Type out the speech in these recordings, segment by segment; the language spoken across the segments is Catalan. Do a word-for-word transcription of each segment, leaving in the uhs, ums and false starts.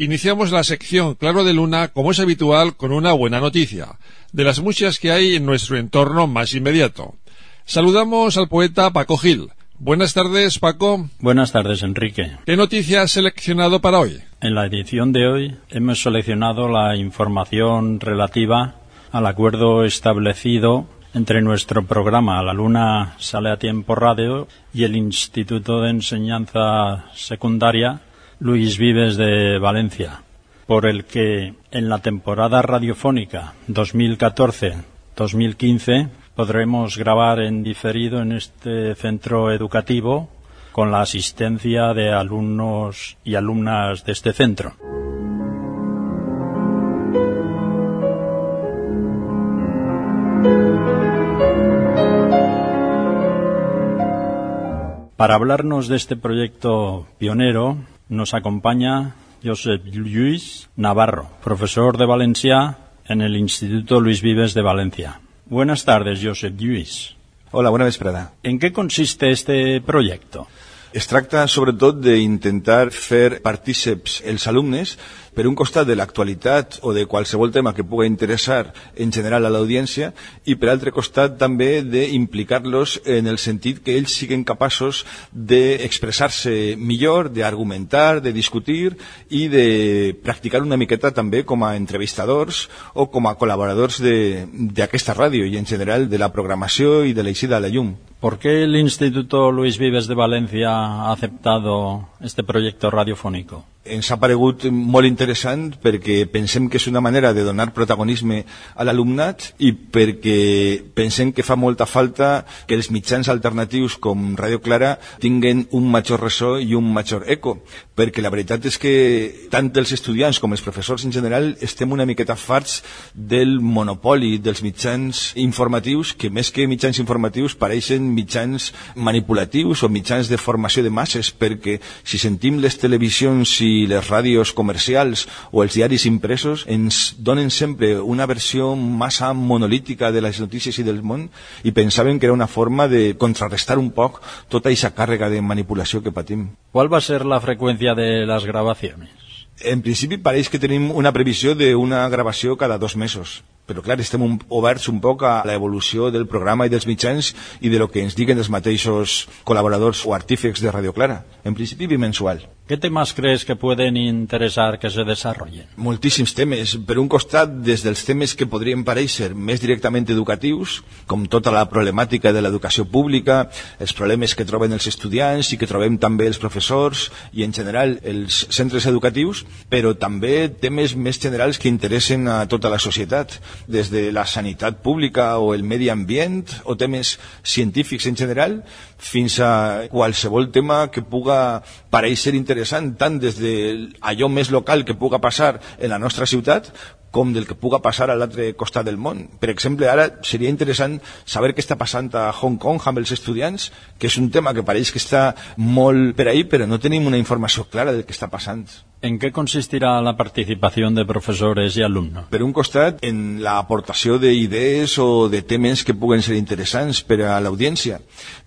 Iniciamos la sección Claro de Luna, como es habitual, con una buena noticia, de las muchas que hay en nuestro entorno más inmediato. Saludamos al poeta Paco Gil. Buenas tardes, Paco. Buenas tardes, Enrique. ¿Qué noticia has seleccionado para hoy? En la edición de hoy hemos seleccionado la información relativa al acuerdo establecido entre nuestro programa La Luna Sale a Tiempo Radio y el Instituto de Enseñanza Secundaria Luis Vives de Valencia, por el que en la temporada radiofónica dos mil catorce dos mil quince podremos grabar en diferido en este centro educativo con la asistencia de alumnos y alumnas de este centro. Para hablarnos de este proyecto pionero nos acompaña Josep Lluís Navarro, profesor de Valencià en el Instituto Luis Vives de Valencia. Buenas tardes, Josep Lluís. Hola, bona vesprada. En què consiste este projecte? Es tracta, sobretot, d'intentar fer partíceps els alumnes per un costat de l'actualitat o de qualsevol tema que pugui interessar en general a l'audiència i per altre costat també d'implicar-los en el sentit que ells siguin capaços d'expressar-se millor, d'argumentar, de discutir i de practicar una miqueta també com a entrevistadors o com a col·laboradors d'aquesta ràdio i en general de la programació i de l'eixida a la llum. ¿Por qué el Instituto Luis Vives de Valencia ha aceptado este proyecto radiofónico? Ens ha paregut molt interessant perquè pensem que és una manera de donar protagonisme a l'alumnat i perquè pensem que fa molta falta que els mitjans alternatius com Ràdio Clara tinguen un major ressò i un major eco, perquè la veritat és que tant els estudiants com els professors en general estem una miqueta farts del monopoli dels mitjans informatius, que més que mitjans informatius pareixen mitjans manipulatius o mitjans de formació de masses, perquè si sentim les televisions i les ràdios comercials o els diaris impresos ens donen sempre una versió massa monolítica de les notícies i del món i pensaven que era una forma de contrarrestar un poc tota aquesta càrrega de manipulació que patim. ¿Cuál va a ser la frecuencia de las grabaciones? En principi pareix que tenim una previsió d'una gravació cada dos mesos. Però, clar, estem un, oberts un poc a l'evolució del programa i dels mitjans i de lo que ens diguen els mateixos col·laboradors o artífecs de Radio Clara. En principi, bimensual. ¿Qué temas crees que pueden interesar que se desarrollen? Moltíssims temes. Per un costat, des dels temes que podrien parèixer més directament educatius, com tota la problemàtica de l'educació pública, els problemes que troben els estudiants i que trobem també els professors i, en general, els centres educatius, però també temes més generals que interessen a tota la societat, des de la sanitat pública o el medi ambient o temes científics en general fins a qualsevol tema que puga parèixer interessant tant des d'allò més local que puga passar en la nostra ciutat com del que puga passar a l'altre costat del món. Per exemple, ara seria interessant saber què està passant a Hong Kong amb els estudiants, que és un tema que pareix que està molt per ahí, però no tenim una informació clara del que està passant. ¿En qué consistirá la participación de profesores y alumnos? Per un costat, en l'aportació d'idees o de temes que puguen ser interessants per a l'audiència.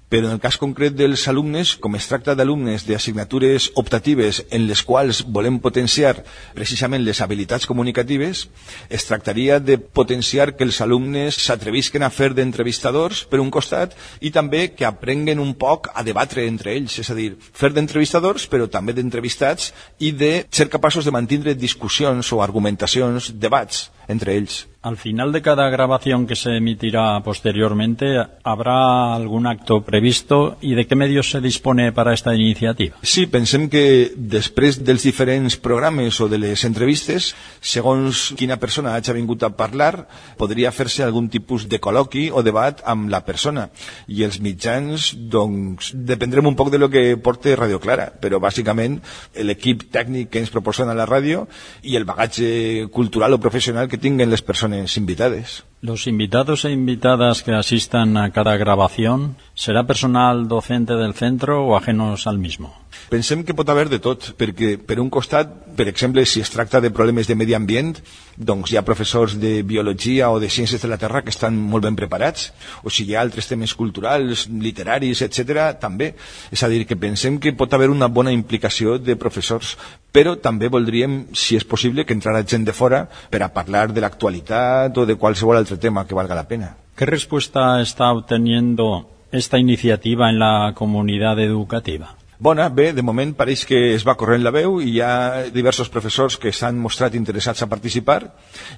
Però en el cas concret dels alumnes, com es tracta d'alumnes d'assignatures optatives en les quals volem potenciar precisament les habilitats comunicatives, es tractaria de potenciar que els alumnes s'atrevisquen a fer d'entrevistadors per un costat i també que aprenguen un poc a debatre entre ells, és a dir, fer d'entrevistadors però també d'entrevistats i de ser capaços de mantindre discussions o argumentacions, debats entre ells. Al final de cada grabación que se emitirá posteriormente, ¿habrá algún acto previsto y de qué medios se dispone para esta iniciativa? Sí, pensem que després dels diferents programes o de les entrevistes, segons quina persona hagi vingut a parlar, podria fer-se algun tipus de col·loqui o debat amb la persona. I els mitjans, doncs, dependrem un poc de lo que porte Radio Clara, però bàsicament l'equip tècnic que ens proporciona la ràdio i el bagatge cultural o professional que tinguen les persones invitades. Los invitados e invitadas que asistan a cada grabación, ¿será personal docente del centro o ajenos al mismo? Pensem que pot haver de tot, perquè per un costat, per exemple, si es tracta de problemes de medi ambient, doncs hi ha professors de biologia o de ciències de la Terra que estan molt ben preparats, o si hi ha altres temes culturals, literaris, etcètera, també. És a dir, que pensem que pot haver una bona implicació de professors, però també voldríem, si és possible, que entrara gent de fora per a parlar de l'actualitat o de qualsevol altre tema que valga la pena. ¿Qué respuesta está obteniendo esta iniciativa en la comunidad educativa? Bona, bé, de moment pareix que es va corrent la veu i hi ha diversos professors que s'han mostrat interessats a participar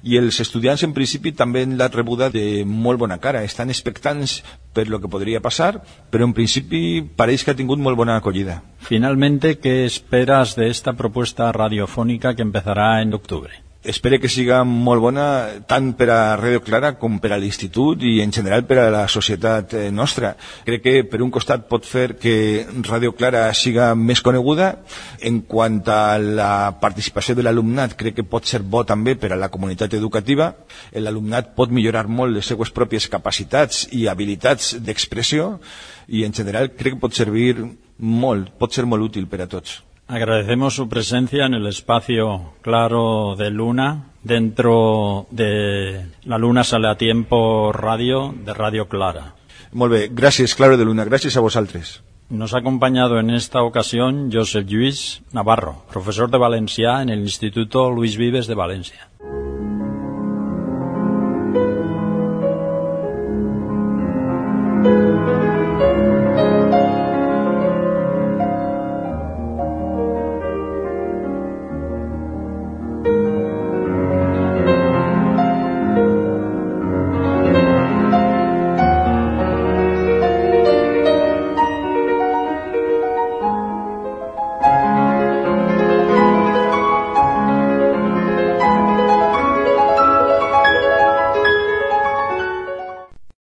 i els estudiants en principi també l'han rebuda de molt bona cara. Estan expectants per lo que podria passar, però en principi pareix que ha tingut molt bona acollida. Finalmente, ¿qué esperas de esta propuesta radiofónica que empezará en octubre? Espero que siga molt bona tant per a Radio Clara com per a l'Institut i en general per a la societat nostra. Crec que per un costat pot fer que Radio Clara siga més coneguda. En quant a la participació de l'alumnat, crec que pot ser bo també per a la comunitat educativa. L'alumnat pot millorar molt les seues pròpies capacitats i habilitats d'expressió i en general crec que pot servir molt, pot ser molt útil per a tots. Agradecemos su presencia en el espacio Claro de Luna, dentro de la Luna Sale a Tiempo Radio de Radio Clara. Molt bé, gràcies Claro de Luna, gràcies a vosaltres. Nos ha acompañado en esta ocasión Josep Lluís Navarro, profesor de valencià en el Instituto Luis Vives de Valencia.